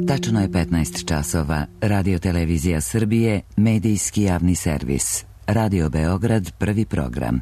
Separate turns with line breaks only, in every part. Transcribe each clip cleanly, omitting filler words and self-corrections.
Tačno je 15 časova. Radio Televizija Srbije, medijski javni servis. Radio Beograd, prvi program.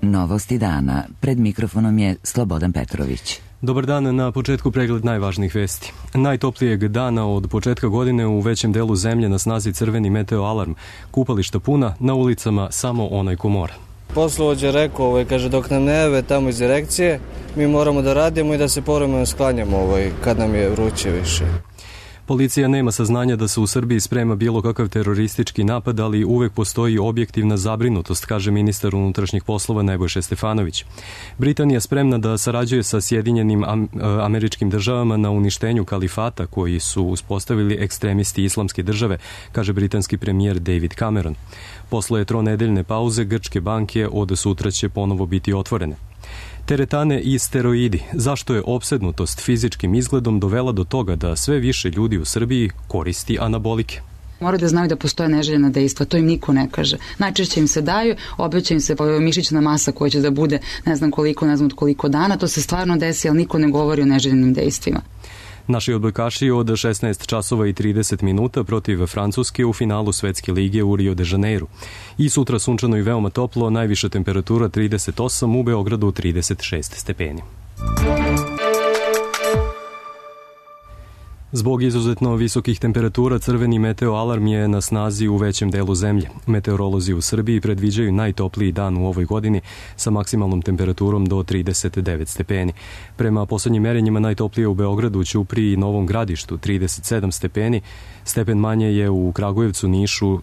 Novosti dana. Pred mikrofonom je Slobodan Petrović.
Dobar dan, na početku pregled najvažnijih vesti. Najtoplijeg dana od početka godine u većem delu zemlje na snazi crveni meteo alarm. Kupališta puna, na ulicama samo onaj ko mora.
Poslovođa rekao, kaže, dok nam ne jave tamo iz direkcije, mi moramo da radimo i da se povremeno sklanjamo kad nam je vruće više.
Policija nema saznanja da se u Srbiji sprema bilo kakav teroristički napad, ali uvek postoji objektivna zabrinutost, kaže ministar unutrašnjih poslova Nebojša Stefanović. Britanija spremna da sarađuje sa Sjedinjenim Američkim Državama na uništenju kalifata koji su uspostavili ekstremisti Islamske države, kaže britanski premijer David Cameron. Posle tronedeljne pauze grčke banke od sutra će ponovo biti otvorene. Teretane i steroidi. Zašto je opsednutost fizičkim izgledom dovela do toga da sve više ljudi u Srbiji koristi anabolike?
Moraju da znaju da postoje neželjena dejstva, to im niko ne kaže. Najčešće im se daju, obeća im se mišićna masa koja će da bude ne znam koliko dana, to se stvarno desi, ali niko ne govori o neželjenim dejstvima.
Naši odbojkaši od 16 časova i 30 minuta protiv Francuske u finalu Svetske lige u Rio de Janeiru. I sutra sunčano i veoma toplo, najviša temperatura 38, u Beogradu 36 stepeni. Zbog izuzetno visokih temperatura crveni meteo alarm je na snazi u većem delu zemlje. Meteorolozi u Srbiji predviđaju najtopliji dan u ovoj godini sa maksimalnom temperaturom do 39 stepeni. Prema poslednjim merenjima najtoplije u Beogradu, Ćupriji i Novom Gradištu 37 stepeni, stepen manje je u Kragujevcu, Nišu,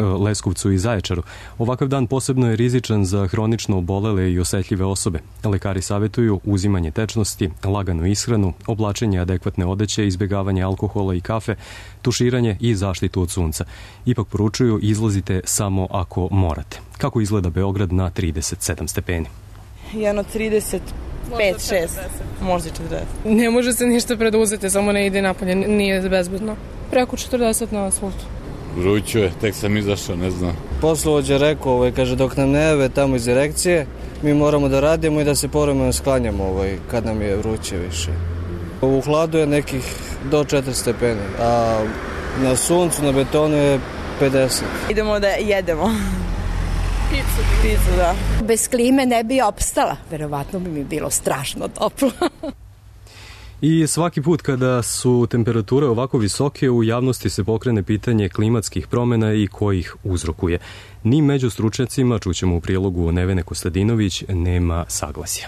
Leskovcu i Zaječaru. Ovakav dan posebno je rizičan za hronično obolele i osetljive osobe. Lekari savetuju uzimanje tečnosti, laganu ishranu, oblačenje adekvatne odeće, izbjegavanje alkohola i kafe, tuširanje i zaštitu od sunca. Ipak poručuju, izlazite samo ako morate. Kako izgleda Beograd na 37 stepeni?
Jedno 35, 6, možda 40.
Ne može se ništa preduzeti, samo ne ide napolje, nije bezbedno. Preko 40 na asfaltu.
Vruće je, tek sam izašao, ne znam.
Poslovođa rekao, kaže, dok nam ne jave tamo iz direkcije, mi moramo da radimo i da se povremeno sklanjamo kad nam je vruće više. U hladu je nekih do 4 stepeni, a na suncu, na betonu je 50.
Idemo da jedemo. Picu, da.
Bez klime ne bi opstala, verovatno bi mi bilo strašno toplo.
I svaki put kada su temperature ovako visoke, u javnosti se pokrene pitanje klimatskih promjena i kojih uzrokuje. Ni među stručnjacima, čućemo u prilogu Nevene Kostadinović, nema saglasja.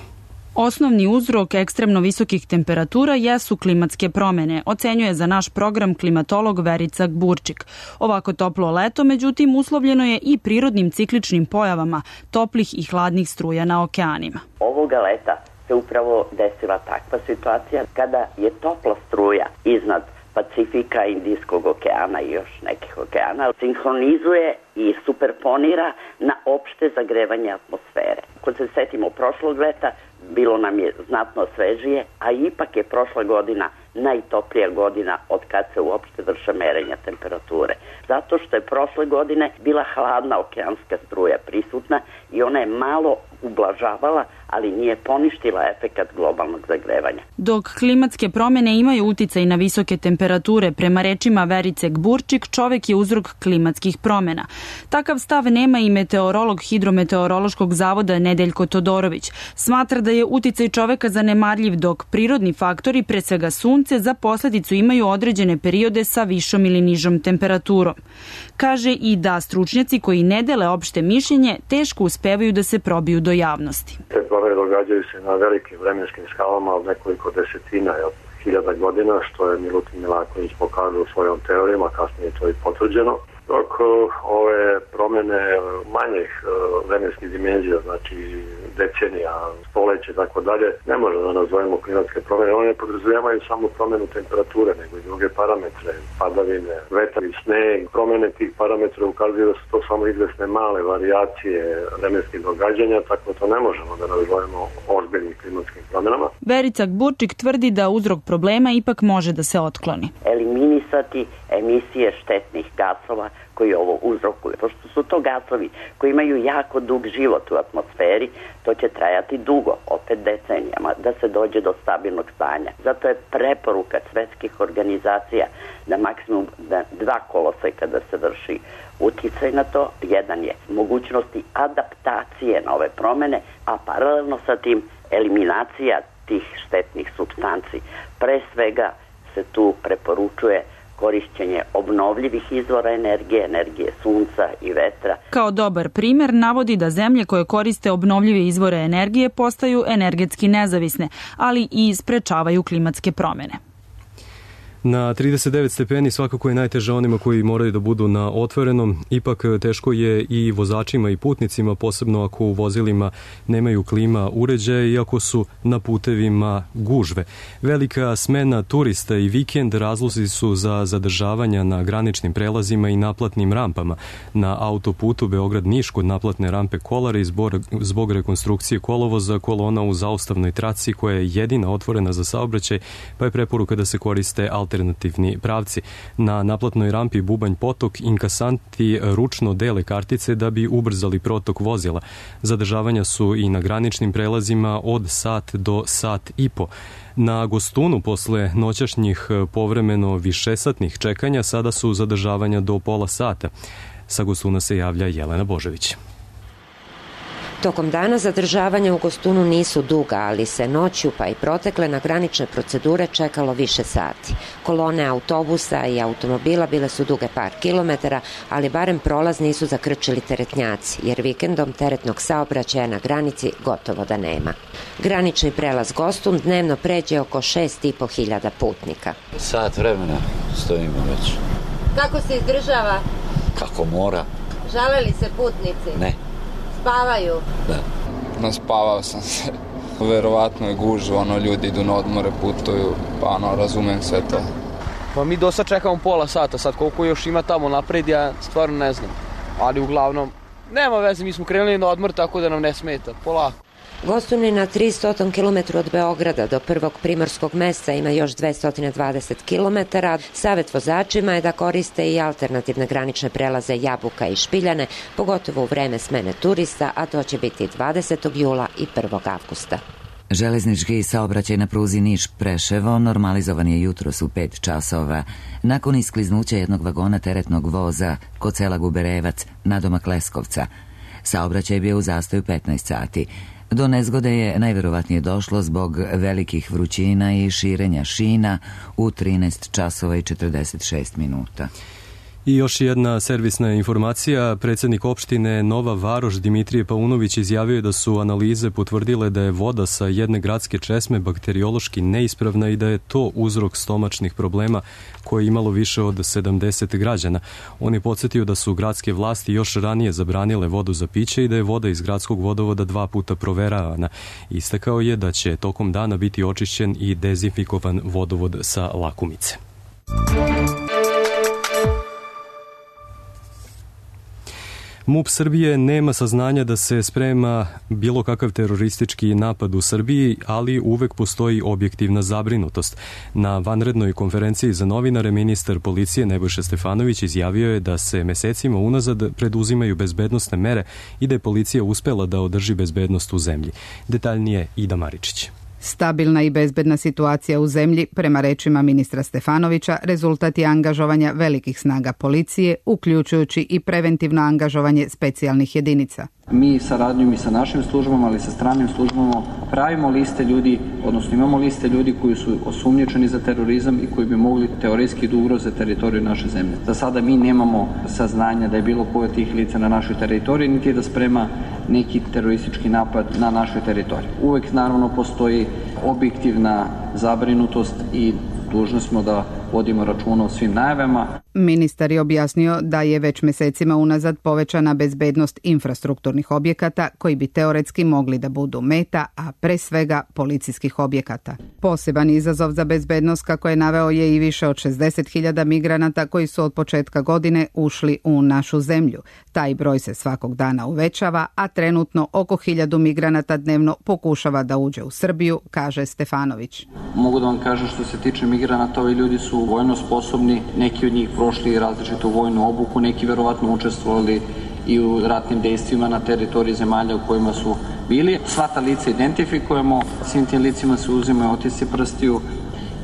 Osnovni uzrok ekstremno visokih temperatura jesu klimatske promene, ocenjuje za naš program klimatolog Verica Gburčik. Ovako toplo leto, međutim, uslovljeno je i prirodnim cikličnim pojavama, toplih i hladnih struja na okeanima.
Ovoga leta se upravo desila takva situacija kada je topla struja iznad Pacifika, Indijskog okeana i još nekih okeana sinhronizuje i superponira na opšte zagrevanje atmosfere. Kad se setimo prošlog leta, bilo nam je znatno svežije, a ipak je prošla godina najtoplija godina od kad se uopšte vrše merenja temperature. Zato što je prošle godine bila hladna okeanska struja prisutna i ona je malo ublažavala, ali nije poništila efekat globalnog zagrevanja.
Dok klimatske promjene imaju uticaj na visoke temperature, prema rečima Verice Gburčik, čovek je uzrok klimatskih promjena. Takav stav nema i meteorolog Hidrometeorološkog zavoda Nedeljko Todorović. Smatra da je uticaj čoveka zanemarljiv, dok prirodni faktori, pre svega sunce, za posledicu imaju određene periode sa višom ili nižom temperaturom. Kaže i da stručnjaci koji ne dele opšte mišljenje teško uspevaju da se probiju do javnosti.
Te promjene događaju se na velikim vremenskim skalama od nekoliko desetina hiljada godina, što je Milutin Milaković pokazao svojom teorijama, kasnije je to i potvrđeno. Dok ove promjene manjih vremenskih dimenzija, znači decenija, stoleće i tako dalje, ne možemo da nazovemo klimatske promjene. One ne podrazumijevaju samo promjenu temperature, nego i druge parametre, padavine, vetar i sneg. Promjene tih parametra ukazuju da su to samo izvesne male varijacije vremenskih događanja, tako to ne možemo da nazovemo ozbiljnim klimatskim promjenama.
Verica Gburčik tvrdi da uzrok problema ipak može da se otkloni.
Eliminisati emisije štetnih gasova koji ovo uzrokuju. Pošto su to gasovi koji imaju jako dug život u atmosferi, to će trajati dugo, opet decenijama, da se dođe do stabilnog stanja. Zato je preporuka svetskih organizacija da maksimum 2 koloseka da se vrši uticaj na to. Jedan je mogućnosti adaptacije na ove promene, a paralelno sa tim eliminacija tih štetnih supstanci. Pre svega se tu preporučuje korišćenje obnovljivih izvora energije, energije sunca i vetra.
Kao dobar primer navodi da zemlje koje koriste obnovljive izvore energije postaju energetski nezavisne, ali i sprečavaju klimatske promene.
Na 39 stepeni svakako je najteže onima koji moraju da budu na otvorenom, ipak teško je i vozačima i putnicima, posebno ako u vozilima nemaju klima uređaje i ako su na putevima gužve. Velika smena turista i vikend razlozi su za zadržavanja na graničnim prelazima i naplatnim rampama. Na autoputu Beograd-Niš kod naplatne rampe Kolari zbog rekonstrukcije kolovoza kolona u zaustavnoj traci koja je jedina otvorena za saobraćaj, pa je preporuka da se koriste alternativni pravci. Na naplatnoj rampi Bubanj Potok inkasanti ručno dele kartice da bi ubrzali protok vozila. Zadržavanja su i na graničnim prelazima od sat do sat i po. Na Gostunu posle noćašnjih povremeno višesatnih čekanja sada su zadržavanja do pola sata. Sa Gostuna se javlja Jelena Božević.
Tokom dana zadržavanja u Gostunu nisu duga, ali se noću pa i protekle na granične procedure čekalo više sati. Kolone autobusa i automobila bile su duge par kilometara, ali barem prolaz nisu zakrčili teretnjaci, jer vikendom teretnog saobraćaja na granici gotovo da nema. Granični prelaz Gostun dnevno pređe oko 6.500 putnika.
Sat vremena stojimo već.
Kako se izdržava?
Kako mora.
Žale li se putnici?
Ne.
Spavaju?
Da.
Naspavao sam se. Verovatno je gužva, ljudi idu na odmore, putuju, pa razumem sve to.
Pa mi do sad čekamo pola sata, sad koliko još ima tamo napred, ja stvarno ne znam. Ali uglavnom, nema veze, mi smo krenuli na odmor, tako da nam ne smeta, polako.
Gostun je na 300 km od Beograda do prvog primorskog mesta, ima još 220 km. Savet vozačima je da koriste i alternativne granične prelaze Jabuka i Špiljane, pogotovo u vreme smene turista, a to će biti 20. jula i 1. avgusta.
Železnički saobraćaj na pruzi Niš-Preševo normalizovan je jutros u 5 časova. Nakon iskliznuća jednog vagona teretnog voza kod sela Guberevac, nadomak Leskovca, saobraćaj je bio u zastoju 15 sati. Do nezgode je najverovatnije došlo zbog velikih vrućina i širenja šina u 13 časova i 46 minuta.
I još jedna servisna informacija. Predsjednik opštine Nova Varoš Dimitrije Paunović izjavio je da su analize potvrdile da je voda sa jedne gradske česme bakteriološki neispravna i da je to uzrok stomačnih problema koje je imalo više od 70 građana. On je podsjetio da su gradske vlasti još ranije zabranile vodu za piće i da je voda iz gradskog vodovoda 2 puta proveravana. Istakao je da će tokom dana biti očišćen i dezinfikovan vodovod sa Lakumice. MUP Srbije nema saznanja da se sprema bilo kakav teroristički napad u Srbiji, ali uvek postoji objektivna zabrinutost. Na vanrednoj konferenciji za novinare ministar policije Nebojša Stefanović izjavio je da se mesecima unazad preduzimaju bezbednosne mere i da je policija uspela da održi bezbednost u zemlji. Detaljnije Ida Maričić.
Stabilna i bezbedna situacija u zemlji, prema rečima ministra Stefanovića, rezultat je angažovanja velikih snaga policije, uključujući i preventivno angažovanje specijalnih jedinica.
Mi saradnjom i sa našim službama, ali i sa stranim službama pravimo liste ljudi, odnosno imamo liste ljudi koji su osumnjičeni za terorizam i koji bi mogli teoretski da ugroze teritoriju naše zemlje. Za sada mi nemamo saznanja da je bilo koje od tih lica na našoj teritoriji, niti da sprema neki teroristički napad na našoj teritoriji. Uvek naravno postoji objektivna zabrinutost i dužni smo da vodimo računa o svim najavama.
Ministar je objasnio da je već mesecima unazad povećana bezbednost infrastrukturnih objekata koji bi teoretski mogli da budu meta, a pre svega policijskih objekata. Poseban izazov za bezbednost, kako je naveo, je i više od 60.000 migranata koji su od početka godine ušli u našu zemlju. Taj broj se svakog dana uvećava, a trenutno oko 1.000 migranata dnevno pokušava da uđe u Srbiju, kaže Stefanović.
Mogu da vam kažem što se tiče migranata, ovi ljudi su vojno sposobni, neki od njih prošli različitu vojnu obuku, neki verovatno učestvovali i u ratnim dejstvima na teritoriji zemalja u kojima su bili. Sva ta lica identifikujemo, svim tim licima se uzimaju otisci prstiju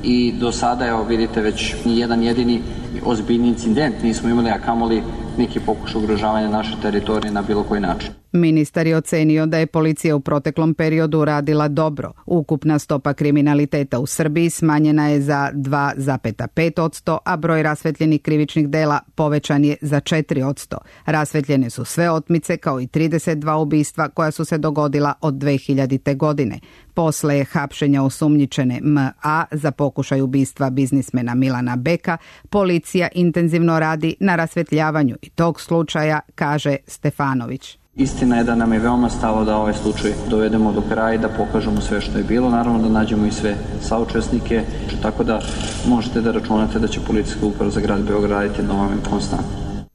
i do sada, evo vidite, već ni jedan jedini ozbiljni incident nismo imali, a kamoli neki pokušaj ugrožavanja naše teritorije na bilo koji način.
Ministar je ocenio da je policija u proteklom periodu radila dobro. Ukupna stopa kriminaliteta u Srbiji smanjena je za 2,5%, a broj rasvetljenih krivičnih dela povećan je za 4%. Rasvetljene su sve otmice kao i 32 ubistva koja su se dogodila od 2000. godine. Posle hapšenja osumnjičene M.A. za pokušaj ubistva biznismena Milana Beka, policija intenzivno radi na rasvetljavanju i tog slučaja, kaže Stefanović.
Istina je da nam je veoma stalo da ovaj slučaj dovedemo do kraja i da pokažemo sve što je bilo. Naravno da nađemo i sve saučesnike, tako da možete da računate da će policijska uprava za grad Beograd raditi na ovome konstantno.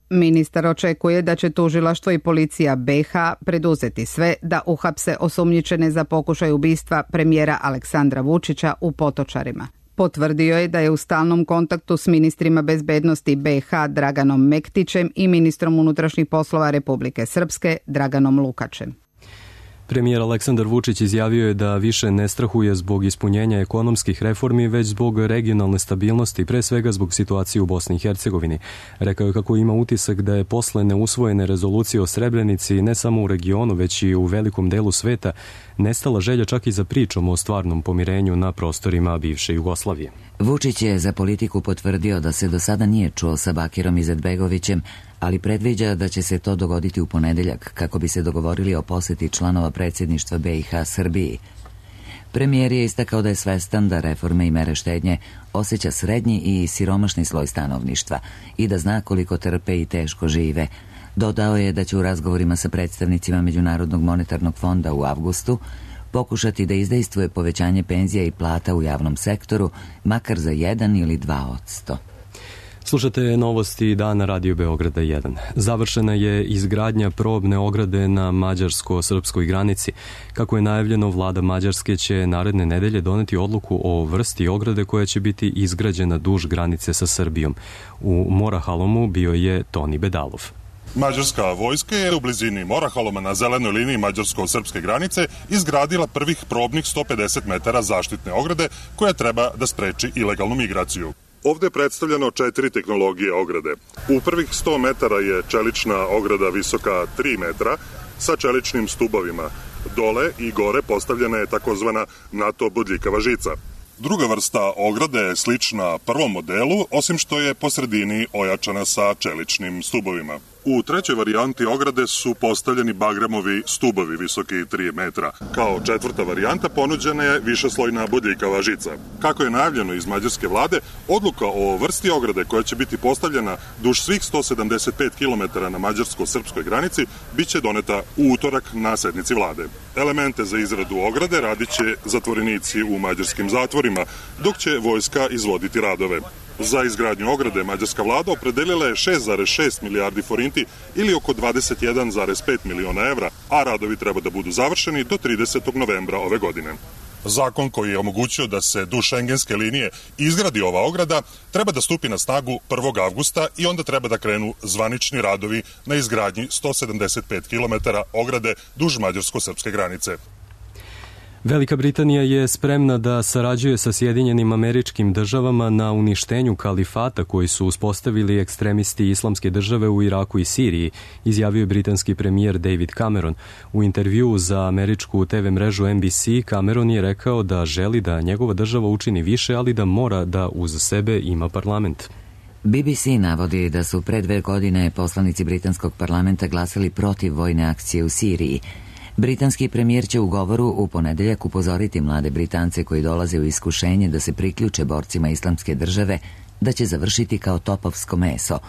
Ministar očekuje da će tužilaštvo i policija BiH preduzeti sve da uhapse osumnjičene za pokušaj ubistva premijera Aleksandra Vučića u Potočarima. Potvrdio je da je u stalnom kontaktu s ministrima bezbednosti BiH Draganom Mektićem i ministrom unutrašnjih poslova Republike Srpske Draganom Lukačem.
Premijer Aleksandar Vučić izjavio je da više ne strahuje zbog ispunjenja ekonomskih reformi, već zbog regionalne stabilnosti, pre svega zbog situacije u Bosni i Hercegovini. Rekao je kako ima utisak da je posle neusvojene rezolucije o Srebrenici ne samo u regionu, već i u velikom delu sveta nestala želja čak i za pričom o stvarnom pomirenju na prostorima bivše Jugoslavije.
Vučić je za Politiku potvrdio da se do sada nije čuo sa Bakirom Izetbegovićem, ali predviđa da će se to dogoditi u ponedeljak kako bi se dogovorili o poseti članova predsjedništva BiH Srbiji. Premijer je istakao da je svestan da reforme i mere štednje osjeća srednji i siromašni sloj stanovništva i da zna koliko trpe i teško žive. Dodao je da će u razgovorima sa predstavnicima Međunarodnog monetarnog fonda u avgustu pokušati da izdejstvuje povećanje penzija i plata u javnom sektoru, makar za 1 ili 2%.
Slušate novosti dana Radio Beograda 1. Završena je izgradnja probne ograde na mađarsko-srpskoj granici. Kako je najavljeno, vlada Mađarske će naredne nedelje doneti odluku o vrsti ograde koja će biti izgrađena duž granice sa Srbijom. U Morahalomu bio je Toni Bedalov.
Mađarska vojska je u blizini Morahaloma na zelenoj liniji mađarsko-srpske granice izgradila prvih probnih 150 metara zaštitne ograde koja treba da spreči ilegalnu migraciju. Ovde je predstavljeno 4 tehnologije ograde. U prvih 100 metara je čelična ograda visoka 3 metra sa čeličnim stubovima. Dole i gore postavljena je takozvana NATO bodljikava žica. Druga vrsta ograde je slična prvom modelu, osim što je po sredini ojačana sa čeličnim stubovima. U trećoj varijanti ograde su postavljeni bagremovi stubovi visoki 3 metra. Kao četvrta varijanta ponuđena je višeslojna bodljikava žica. Kako je najavljeno iz mađarske vlade, odluka o vrsti ograde koja će biti postavljena duž svih 175 km na mađarsko-srpskoj granici biće doneta u utorak na sednici vlade. Elemente za izradu ograde radit će zatvorenici u mađarskim zatvorima, dok će vojska izvoditi radove. Za izgradnju ograde mađarska vlada opredelila je 6,6 milijardi forinti ili oko 21,5 miliona evra, a radovi treba da budu završeni do 30. novembra ove godine. Zakon koji je omogućio da se duž šengenske linije izgradi ova ograda treba da stupi na snagu 1. avgusta i onda treba da krenu zvanični radovi na izgradnji 175 km ograde duž mađarsko-srpske granice.
Velika Britanija je spremna da sarađuje sa Sjedinjenim Američkim Državama na uništenju kalifata koji su uspostavili ekstremisti Islamske države u Iraku i Siriji, izjavio je britanski premijer David Cameron. U intervjuu za američku TV mrežu NBC, Cameron je rekao da želi da njegova država učini više, ali da mora da uz sebe ima parlament.
BBC navodi da su pre 2 godine poslanici britanskog parlamenta glasali protiv vojne akcije u Siriji. Britanski premijer će u govoru u ponedeljak upozoriti mlade Britance koji dolaze u iskušenje da se priključe borcima Islamske države, da će završiti kao topovsko meso.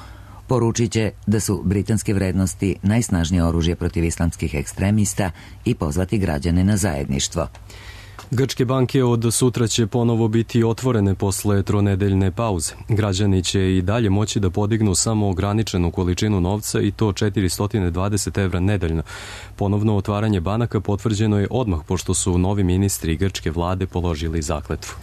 Poručit će da su britanske vrednosti najsnažnije oružje protiv islamskih ekstremista i pozvati građane na zajedništvo.
Grčke banke od sutra će ponovo biti otvorene posle tronedeljne pauze. Građani će i dalje moći da podignu samo ograničenu količinu novca i to 420 evra nedeljno. Ponovno otvaranje banaka potvrđeno je odmah pošto su novi ministri grčke vlade položili zakletvu.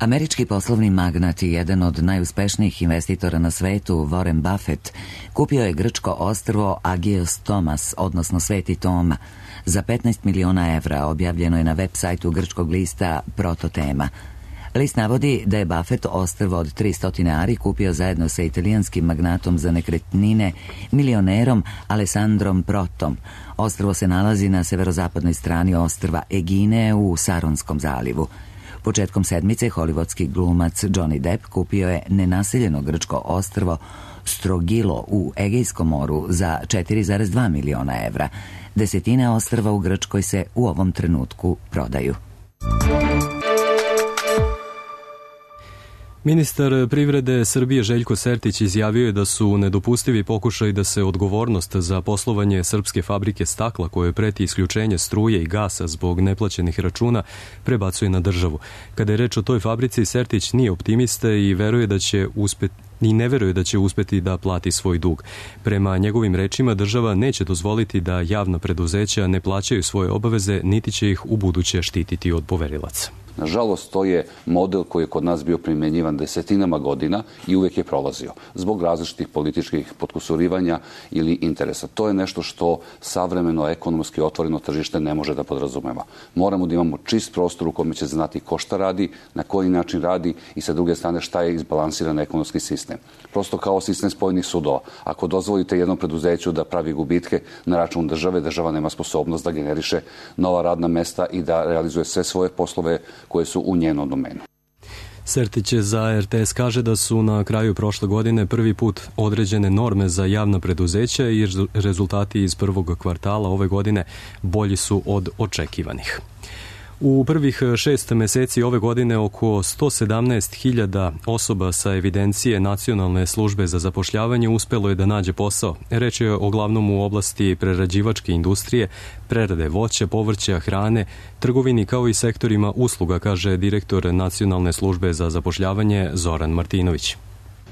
Američki poslovni magnat i jedan od najuspešnijih investitora na svetu, Warren Buffett, kupio je grčko ostrvo Agios Tomas, odnosno Sveti Toma, za 15 miliona evra, objavljeno je na web sajtu grčkog lista Prototema. List navodi da je Buffett ostrvo od 300 ari kupio zajedno sa italijanskim magnatom za nekretnine, milionerom Alessandrom Protom. Ostrvo se nalazi na severozapadnoj strani ostrva Egine u Saronskom zalivu. Početkom sedmice hollywoodski glumac Johnny Depp kupio je nenaseljeno grčko ostrvo Strogilo u Egejskom moru za 4,2 miliona evra. Desetine ostrva u Grčkoj se u ovom trenutku prodaju.
Ministar privrede Srbije Željko Sertić izjavio je da su nedopustivi pokušaj da se odgovornost za poslovanje srpske fabrike stakla koje preti isključenje struje i gasa zbog neplaćenih računa prebacuje na državu. Kada je reč o toj fabrici, Sertić nije optimista i veruje da će ne veruje da će uspeti da plati svoj dug. Prema njegovim rečima, država neće dozvoliti da javna preduzeća ne plaćaju svoje obaveze, niti će ih u buduće štititi od poverilaca.
Nažalost, to je model koji je kod nas bio primjenjivan desetinama godina i uvijek je prolazio zbog različitih političkih potkusurivanja ili interesa. To je nešto što savremeno ekonomski otvoreno tržište ne može da podrazumeva. Moramo da imamo čist prostor u kome će znati ko šta radi, na koji način radi i sa druge strane šta je izbalansiran ekonomski sistem. Prosto kao sistem spojenih sudova. Ako dozvolite jednom preduzeću da pravi gubitke na račun države, država nema sposobnost da generiše nova radna mesta i da realizuje sve svoje poslove koje su u njenom domenu.
Sertić za RTS kaže da su na kraju prošle godine prvi put određene norme za javna preduzeća i rezultati iz prvog kvartala ove godine bolji su od očekivanih. U prvih 6 meseci ove godine oko 117.000 osoba sa evidencije Nacionalne službe za zapošljavanje uspelo je da nađe posao. Reč je uglavnom u oblasti prerađivačke industrije, prerade voća, povrća, hrane, trgovini kao i sektorima usluga, kaže direktor Nacionalne službe za zapošljavanje Zoran Martinović.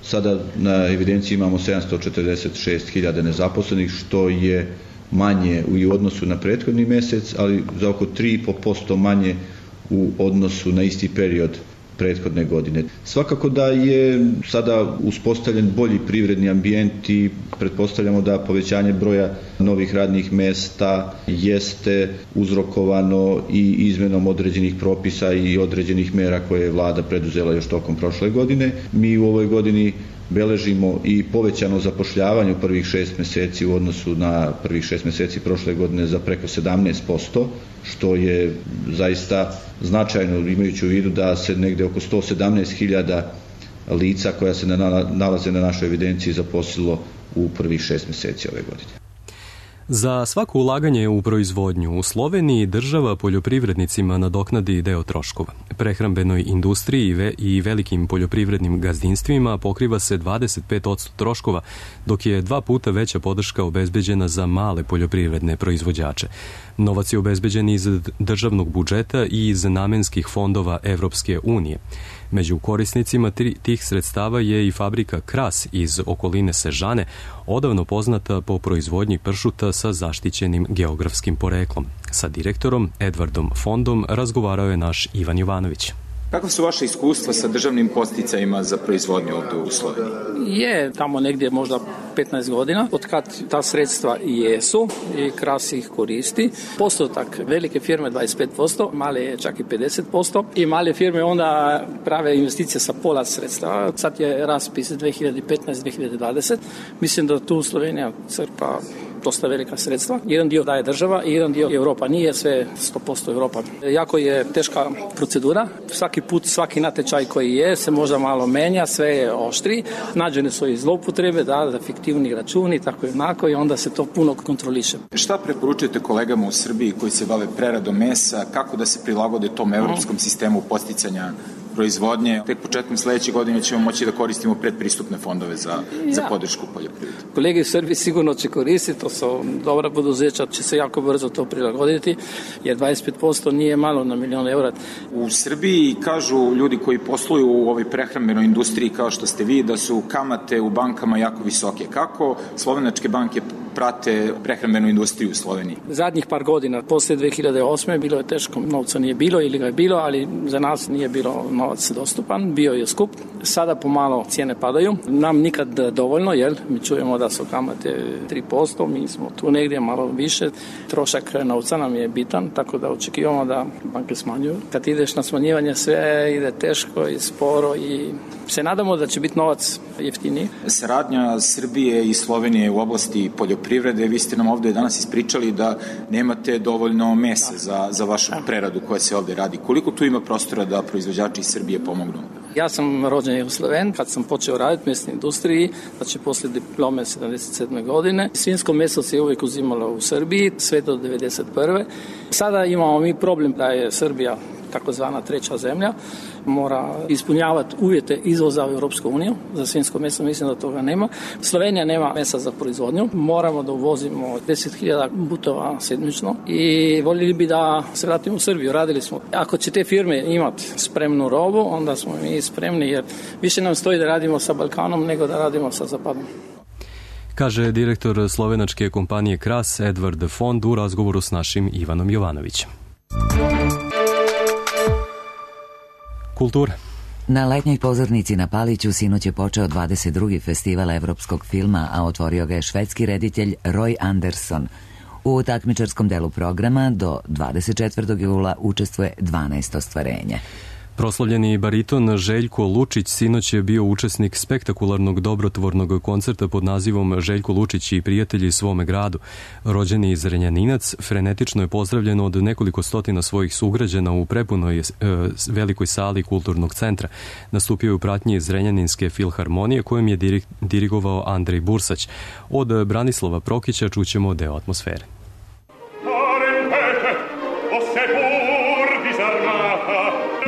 Sada na evidenciji imamo 746.000 nezaposlenih, što je manje u odnosu na prethodni mesec, ali za oko 3,5% manje u odnosu na isti period prethodne godine. Svakako da je sada uspostavljen bolji privredni ambijent i pretpostavljamo da povećanje broja novih radnih mesta jeste uzrokovano i izmenom određenih propisa i određenih mera koje je vlada preduzela još tokom prošle godine. Mi u ovoj godini beležimo i povećano zapošljavanje u prvih 6 meseci u odnosu na prvih 6 meseci prošle godine za preko 17%, što je zaista značajno imajući u vidu da se negde oko 117.000 lica koja se nalaze na našoj evidenciji zaposlilo u prvih 6 meseci ove godine.
Za svako ulaganje u proizvodnju u Sloveniji država poljoprivrednicima nadoknadi deo troškova. Prehrambenoj industriji i velikim poljoprivrednim gazdinstvima pokriva se 25% troškova, dok je 2 puta veća podrška obezbeđena za male poljoprivredne proizvođače. Novac je obezbeđen iz državnog budžeta i iz namenskih fondova Evropske unije. Među korisnicima tih sredstava je i fabrika Kras iz okoline Sežane, odavno poznata po proizvodnji pršuta sa zaštićenim geografskim poreklom. Sa direktorom Edvardom Fondom razgovarao je naš Ivan Jovanović.
Kako su vaše iskustva sa državnim podsticajima za proizvodnju ovdje u Sloveniji?
Je tamo negdje možda 15 godina, od kad ta sredstva jesu i Kras ih koristi. Postotak velike firme 25%, male je čak i 50% i male firme onda prave investicije sa pola sredstva. Sad je raspis 2015-2020. Mislim da tu Slovenija crpa dosta velika sredstva. Jedan dio daje država i jedan dio Europa. Nije sve 100% Europa. Jako je teška procedura. Svaki put, svaki natječaj koji je se možda malo menja, sve je oštri. Nađene su i zloupotrebe, da fiktivni računi, tako i onako i onda se to puno kontroliše.
Šta preporučujete kolegama u Srbiji koji se bave preradom mesa, kako da se prilagode tom evropskom sistemu podsticanja proizvodnje? Tek početkom sledeće godine ćemo moći da koristimo predpristupne fondove za podršku poljoprivrede.
Kolege u Srbiji sigurno će koristiti, to su dobra poduzeća, će se jako brzo to prilagoditi, jer 25% nije malo na milion eura.
U Srbiji kažu ljudi koji posluju u ovoj prehrambenoj industriji kao što ste vi, da su kamate u bankama jako visoke. Kako slovenačke banke prate prehrambenu industriju u Sloveniji?
Zadnjih par godina, posle 2008. bilo je teško, novca nije bilo ili ga je bilo, ali za nas nije bilo novac dostupan, bio je skup, sada pomalo cijene padaju, nam nikad dovoljno, jer mi čujemo da su kamate 3%, mi smo tu negdje malo više, trošak novca nam je bitan, tako da očekivamo da banke smanjuju. Kad ideš na smanjivanje sve ide teško i sporo i se nadamo da će biti novac jeftiniji.
Saradnja Srbije i Slovenije u oblasti poljoprivrede, vi ste nam ovdje danas ispričali da nemate dovoljno mesa za vašu preradu koja se ovdje radi. Koliko tu ima prostora da proizvođači iz Srbije pomognu?
Ja sam rođen u Sloveniji, kad sam počeo raditi u mesnoj industriji, znači poslije diplome 77. godine. Svinjsko meso se uvijek uzimalo u Srbiji, sve do 91. Sada imamo mi problem da je Srbija takozvana treća zemlja, mora ispunjavati uvjete izvoza u Europsku uniju. Za svinjsko meso mislim da toga nema. Slovenija nema mesa za proizvodnju. Moramo da uvozimo 10.000 butova sedmično i voljeli bi da se vratimo u Srbiju. Radili smo. Ako će te firme imati spremnu robu, onda smo mi spremni, jer više nam stoji da radimo sa Balkanom nego da radimo sa Zapadom.
Kaže direktor slovenačke kompanije Kras Edvard Fond u razgovoru s našim Ivanom Jovanovićem. Kultura.
Na letnjoj pozornici na Paliću sinoć je počeo 22. festival evropskog filma, a otvorio ga je švedski reditelj Roy Andersson. U takmičarskom delu programa do 24. jula učestvuje 12 ostvarenja.
Proslavljeni bariton Željko Lučić sinoć je bio učesnik spektakularnog dobrotvornog koncerta pod nazivom Željko Lučić i prijatelji svome gradu. Rođeni Zrenjaninac, frenetično je pozdravljen od nekoliko stotina svojih sugrađana u prepunoj velikoj sali kulturnog centra. Nastupio je u pratnji Zrenjaninske filharmonije kojom je dirigovao Andrej Bursać. Od Branislava Prokića čućemo deo atmosfere.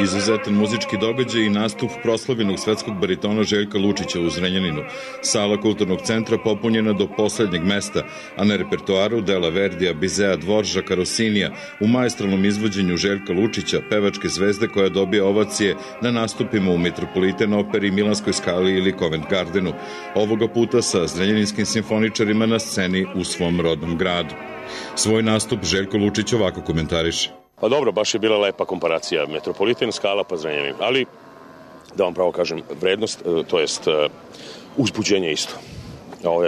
Izuzetan muzički događaj i nastup proslavljenog svetskog baritona Željka Lučića u Zrenjaninu. Sala kulturnog centra popunjena do poslednjeg mesta, a na repertoaru dela Verdija, Bizea, Dvoržaka, Rosinija u maestralnom izvođenju Željka Lučića, pevačke zvezde koja dobija ovacije na nastupima u Metropolitan operi, Milanskoj skali ili Covent Gardenu. Ovoga puta sa zrenjaninskim simfoničarima na sceni u svom rodnom gradu. Svoj nastup Željko Lučić ovako komentariše.
Pa dobro, baš je bila lepa komparacija. Metropolitan, skala pa Zrenjanin. Ali, da vam pravo kažem, vrednost, to jest uzbuđenje isto.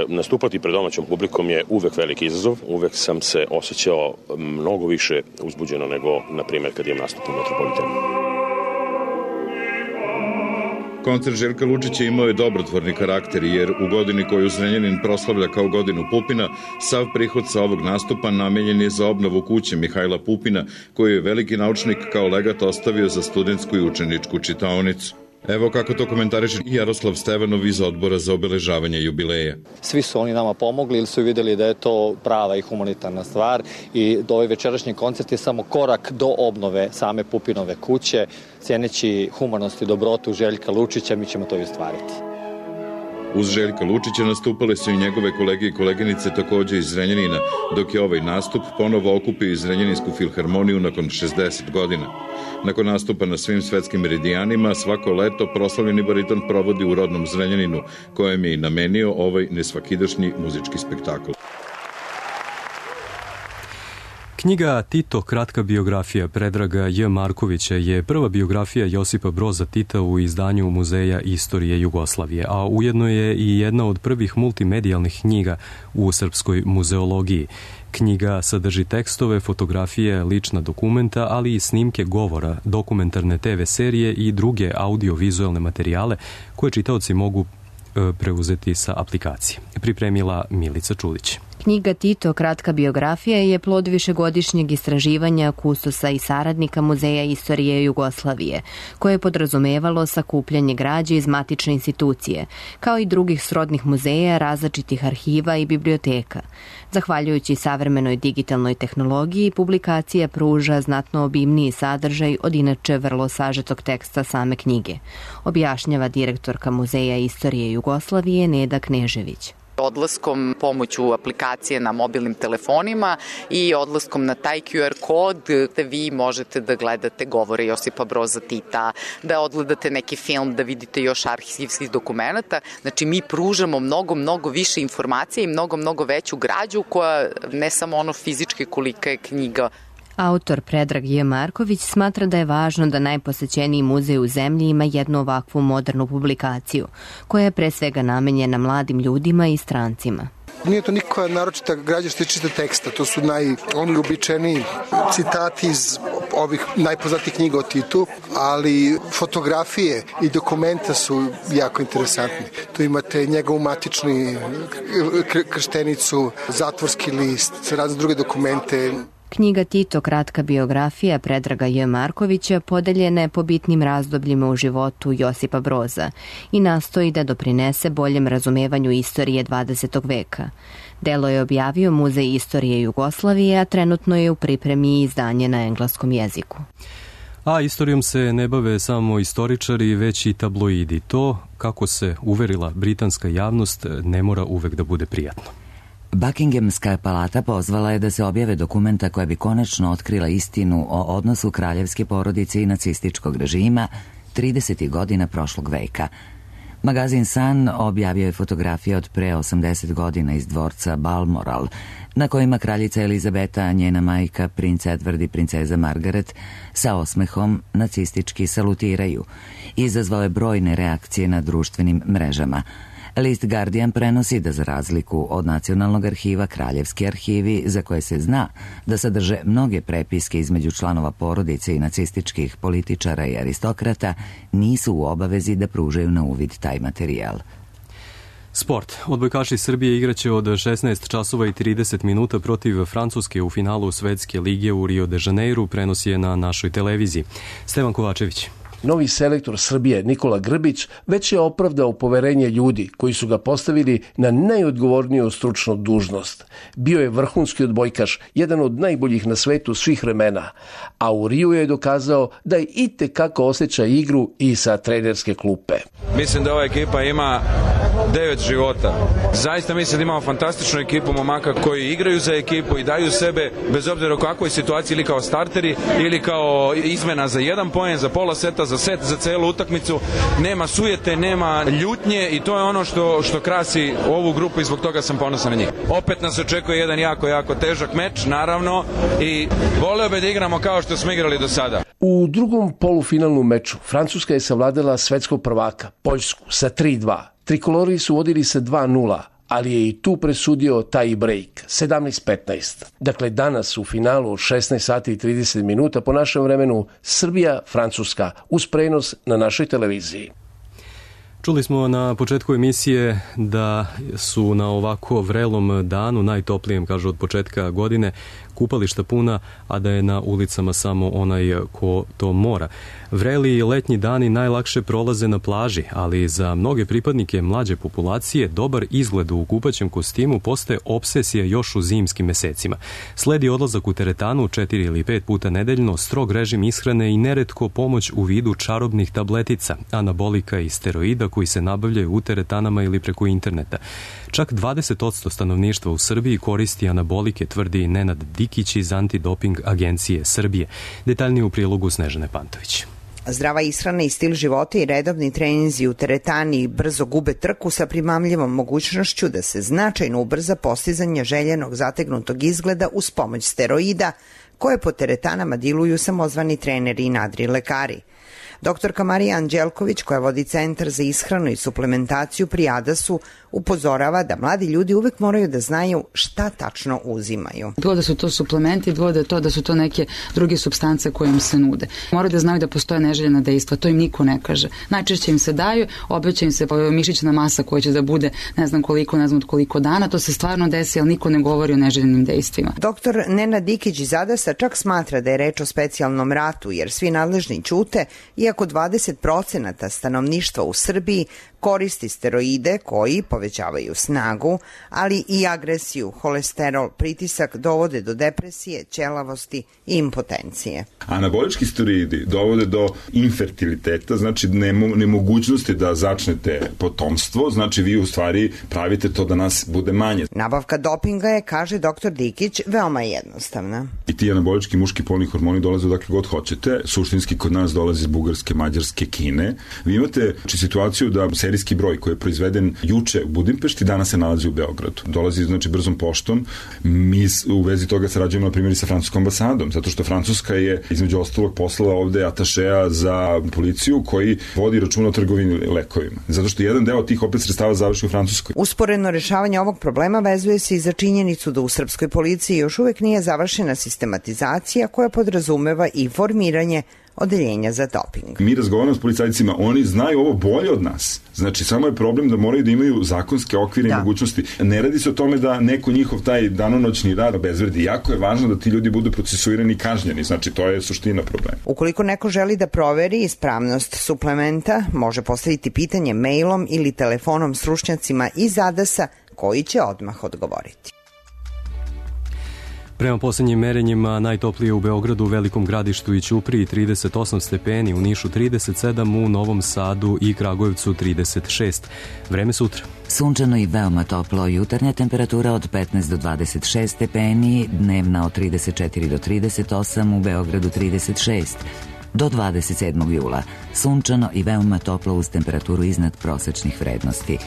Nastupati pred domaćom publikom je uvek veliki izazov. Uvek sam se osjećao mnogo više uzbuđeno nego, na primjer, kad imam nastup u Metropolitanu.
Koncert Željka Lučića imao je dobrotvorni karakter, jer u godini koju Zrenjanin proslavlja kao godinu Pupina, sav prihod sa ovog nastupa namenjen je za obnovu kuće Mihajla Pupina, koju je veliki naučnik kao legat ostavio za studentsku i učeničku čitaonicu. Evo kako to komentariše Jaroslav Stevanov iz Odbora za obeležavanje jubileja.
Svi su oni nama pomogli ili su vidjeli da je to prava i humanitarna stvar i da ovaj večerašnji koncert je samo korak do obnove same Pupinove kuće. Cijeneći humanost i dobrotu Željka Lučića, mi ćemo to i ostvariti.
Uz Željka Lučića nastupale su i njegove kolege i koleginice takođe iz Zrenjanina, dok je ovaj nastup ponovo okupio i Zrenjaninsku filharmoniju nakon 60 godina. Nakon nastupa na svim svetskim meridijanima, svako leto proslavljeni bariton provodi u rodnom Zrenjaninu, kojem je i namenio ovaj nesvakidašnji muzički spektakl.
Knjiga Tito, kratka biografija Predraga J. Markovića je prva biografija Josipa Broza Tita u izdanju Muzeja istorije Jugoslavije, a ujedno je i jedna od prvih multimedijalnih knjiga u srpskoj muzeologiji. Knjiga sadrži tekstove, fotografije, lična dokumenta, ali i snimke govora, dokumentarne TV serije i druge audio-vizualne materijale koje čitaoci mogu preuzeti sa aplikacije. Pripremila Milica Čulić.
Knjiga Tito, kratka biografija, je plod višegodišnjeg istraživanja kustosa i saradnika Muzeja istorije Jugoslavije, koje je podrazumevalo sakupljanje građe iz matične institucije, kao i drugih srodnih muzeja, različitih arhiva i biblioteka. Zahvaljujući savremenoj digitalnoj tehnologiji, publikacija pruža znatno obimniji sadržaj od inače vrlo sažetog teksta same knjige, objašnjava direktorka Muzeja istorije Jugoslavije Neda Knežević.
Odlaskom pomoću aplikacije na mobilnim telefonima i odlaskom na taj QR kod gde vi možete da gledate govore Josipa Broza Tita, da odgledate neki film, da vidite još arhivskih dokumenta. Znači mi pružamo mnogo više informacija i mnogo veću građu koja ne samo ono fizički kolika je knjiga.
Autor Predrag J. Marković smatra da je važno da najposećeniji muzej u zemlji ima jednu ovakvu modernu publikaciju, koja je pre svega namenjena mladim ljudima i strancima.
Nije to nikakva naročita građa što se čita teksta, to su oni uobičajeni citati iz ovih najpoznatijih knjiga o Titu, ali fotografije i dokumenta su jako interesantni. Tu imate njegovu matični krštenicu, zatvorski list, razne druge dokumente.
Knjiga Tito, kratka biografija Predraga J. Markovića, podeljena je po bitnim razdobljima u životu Josipa Broza i nastoji da doprinese boljem razumevanju istorije 20. veka. Delo je objavio Muzej istorije Jugoslavije, a trenutno je u pripremi izdanje na engleskom jeziku.
A istorijom se ne bave samo istoričari, već i tabloidi. To, kako se uverila britanska javnost, ne mora uvek da bude prijatno.
Buckinghamska palata pozvala je da se objave dokumenta koja bi konačno otkrila istinu o odnosu kraljevske porodice i nacističkog režima 30. godina prošlog veka. Magazin Sun objavio je fotografije od pre 80 godina iz dvorca Balmoral, na kojima kraljica Elizabeta, njena majka, princ Edward i princeza Margaret sa osmehom nacistički salutiraju. Izazvao je brojne reakcije na društvenim mrežama. List Guardian prenosi da za razliku od Nacionalnog arhiva, kraljevski arhivi, za koje se zna da sadrže mnoge prepiske između članova porodice i nacističkih političara i aristokrata, nisu u obavezi da pružaju na uvid taj materijal.
Sport. Odbojkaši Srbije igraće od 16 časova i 30 minuta protiv Francuske u finalu Svetske lige u Rio de Janeiru, prenosi je na našoj televiziji. Stevan Kovačević.
Novi selektor Srbije Nikola Grbić već je opravdao poverenje ljudi koji su ga postavili na najodgovorniju stručnu dužnost. Bio je vrhunski odbojkaš, jedan od najboljih na svetu svih vremena, a u Riju je dokazao da je itekako osjeća igru i sa trenerske klupe.
Mislim da ova ekipa ima 9 života. Zaista mislim da imamo fantastičnu ekipu momaka koji igraju za ekipu i daju sebe bez obzira u kakvoj situaciji, ili kao starteri ili kao izmena za jedan poen, za pola seta, za set, za celu utakmicu. Nema sujete, nema ljutnje i to je ono što krasi ovu grupu i zbog toga sam ponosan na njih. Opet nas očekuje jedan jako težak meč, naravno, i voleo bi da igramo kao što smo igrali do sada.
U drugom polufinalnom meču Francuska je savladala svetskog prvaka, Poljsku, sa 3-2. Trikolori su vodili sa 2-0, ali je i tu presudio taj break, 17-15. Dakle, danas u finalu 16 sati i 30 minuta po našem vremenu Srbija-Francuska uz prenos na našoj televiziji.
Čuli smo na početku emisije da su na ovako vrelom danu, najtoplijem, kažu od početka godine, kupališta puna, a da je na ulicama samo onaj ko to mora. Vreli letnji dani najlakše prolaze na plaži, ali za mnoge pripadnike mlađe populacije dobar izgled u kupaćem kostimu postaje obsesija još u zimskim mesecima. Sledi odlazak u teretanu 4 ili 5 puta nedeljno, strog režim ishrane i neretko pomoć u vidu čarobnih tabletica, anabolika i steroida koji se nabavljaju u teretanama ili preko interneta. Čak 20% stanovništva u Srbiji koristi anabolike, tvrdi Nenad Dikić iz Antidoping agencije Srbije. Detaljnije u prilogu Snežane Pantović.
Zdrava ishrana i stil života i redovni treninzi u teretani brzo gube trku sa primamljivom mogućnošću da se značajno ubrza postizanje željenog zategnutog izgleda uz pomoć steroida, koje po teretanama diluju samozvani treneri i nadri lekari. Doktorka Marija Anđelković, koja vodi Centar za ishranu i suplementaciju pri Adasu, upozorava da mladi ljudi uvek moraju da znaju šta tačno uzimaju.
Bilo da su to suplementi, bilo da su to neke druge supstance koje im se nude. Moraju da znaju da postoje neželjena dejstva, to im niko ne kaže. Najčešće im se daju, obeća im se mišićna masa koja će da bude ne znam od koliko dana, to se stvarno desi, ali niko ne govori o neželjenim dejstvima.
Doktor Nenad Dikić iz Adasa čak smatra da je reč o specijalnom ratu, jer svi nadležni ćute, iako 20% stanovništva u Srbiji koristi steroide koji povećavaju snagu, ali i agresiju, holesterol, pritisak dovode do depresije, ćelavosti i impotencije.
Anabolički steroidi dovode do infertiliteta, znači nemogućnosti da začnete potomstvo, znači vi u stvari pravite to da nas bude manje.
Nabavka dopinga je, kaže dr. Dikić, veoma jednostavna.
I ti anabolički muški polni hormoni dolaze odakle god hoćete, suštinski kod nas dolaze iz Bugarske, Mađarske, Kine. Vi imate situaciju da serijski broj koji je proizveden juče u Budimpešti, danas se nalazi u Beogradu. Dolazi znači brzom poštom. Mi u vezi toga sarađujemo na primjer i sa francuskom ambasadom, zato što Francuska je između ostalog poslala ovde atašeja za policiju koji vodi računa o trgovini lekovima. Zato što jedan deo tih opet sredstava završi u Francuskoj.
Usporedno rešavanje ovog problema vezuje se i za činjenicu da u srpskoj policiji još uvek nije završena sistematizacija koja podrazumeva i formiranje odeljenja za doping.
Mi razgovaramo s policajcima, oni znaju ovo bolje od nas. Znači, samo je problem da moraju da imaju zakonske okvire i mogućnosti. Ne radi se o tome da neko njihov taj danonoćni rad obezvredi. Jako je važno da ti ljudi budu procesuirani i kažnjeni. Znači, to je suština problema.
Ukoliko neko želi da proveri ispravnost suplementa, može postaviti pitanje mailom ili telefonom stručnjacima iz ADAS-a koji će odmah odgovoriti.
Prema poslednjim merenjima najtoplije u Beogradu, Velikom Gradištu i Ćupriji 38 stepeni, u Nišu 37, u Novom Sadu i Kragujevcu 36. Vreme sutra.
Sunčano i veoma toplo, jutarnja temperatura od 15 do 26 stepeni, dnevna od 34 do 38, u Beogradu 36. Do 27. jula. Sunčano i veoma toplo uz temperaturu iznad prosečnih vrednosti.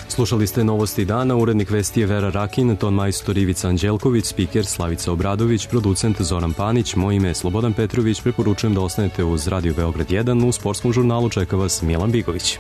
Slušali ste Novosti dana, urednik vesti je Vera Rakin, ton majstor Ivica Anđelković, spiker Slavica Obradović, producent Zoran Panić, moje ime je Slobodan Petrović, preporučujem da ostanete uz Radio Beograd 1, u sportskom žurnalu čeka vas Milan Bigović.